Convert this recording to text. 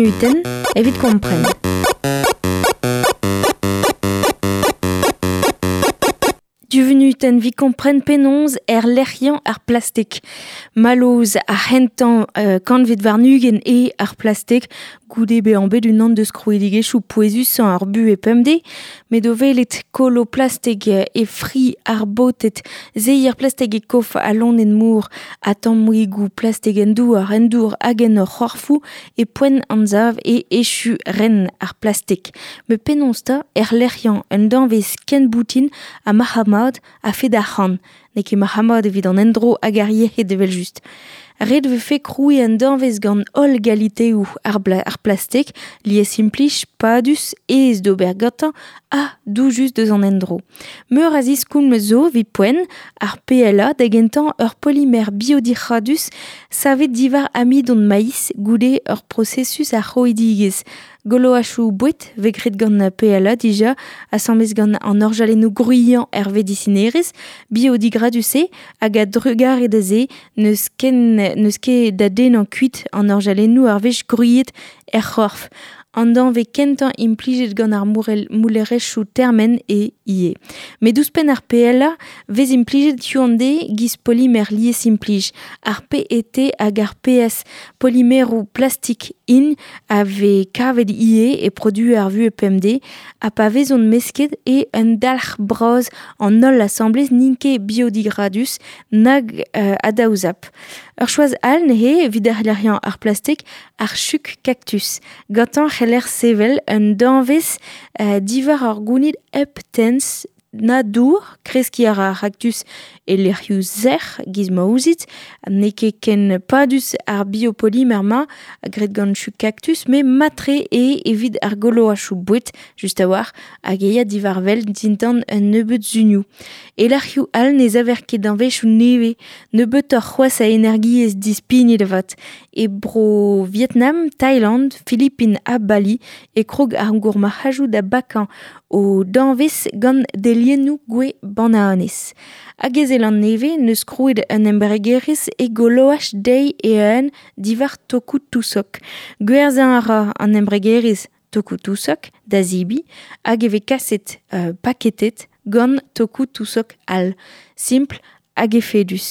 vunutenn evit kompren. Du vunutenn 'vit kompren penaos erlec'hiañ ar plastik. Mallozh ar c'hentañ kantved warn-ugent eo ar plastik goude bezañ bet unan deus krouidigezhioù pouezusañ ar buhez pemdez met o welet kolo plastik e fri ar baoted, seier plastik e kof al loened-mor ha tammoùigoù plastik en douar, en dour hag en hor c'horfoù e poent anzav e echu ren ar plastik. Met penaos 'ta erlec'hiañ un danvez ken boutin ha marc'had-mat a-fet arc'hant N'eo ket marc'had-mat evit an endro hag ar yec'hed evel-just. Ret e vefe krouiñ un danvez gant holl galiteoù ar plastik, liesimplij, padus, aes d'ober gantañ ha doujus deus an endro. Meur a ziskoulm zo evit poent, ar PLA da gentañ ur polimer biodic'hadus savet diwar amidon maiz goude ur prosesus a c'hroidigezh. Goloachoù boued 'vez graet gant PLA dija, asambles gant an orjalennoù gwriañ er vedisinerezh, biodigradus-se hag a-drugarez da se n'eus ken n'eus ket da dennañ kuit an orjalennoù ar wech gwriet er c'horf. An danvez kentañ implijet gant ar moulerezhioù termen eo ivez. Met ouzhpenn ar PLA 'vez implijet hiziv-an-deiz giz polimer liesimplij, ar PET hag ar PS, polimeroù plastik int a vez kavet ivez e produoù ar vuhez pemdez ha pa vezont mesket eo un dalc'h bras an holl asambles n'int ket biodigradus nag adaozap. Ur choaz all neuze evit erlec'hiañ ar plastik, ar chug kaktus. Gantañ c'heller sevel un danvez diwar ur gounid hep tenz na dour, kreskiñ a ra ar c'haktus e lec'hioù sec'h giz ma ouzit. N'eo ket ken padus ar biopolimer-mañ graet gant chug kaktus met mat-tre eo evit ar goloachoù boued just a-walc'h hag e ya diwar-wel dindan un nebeud sunioù. E lec'hioù all ne saver ket danvezioù nevez, nebeutoc'h c'hoazh a energiezh dispignet avat. E bro Vietnam, Thailand, Filipin ha Bali e krog ar gourmarc'hajoù da bakañ o danvez gant deliennoù gwez bananez. Hag e Zeland-Nevez n'eus krouet un embregerezh e goloaj dezhi e-un diwar tokoù tousog. Gwerzhañ a ra an embregerezh tokoù tousog da zebriñ hag e vez kaset paketet gant tokoù tousog all. Simpl hag efedus.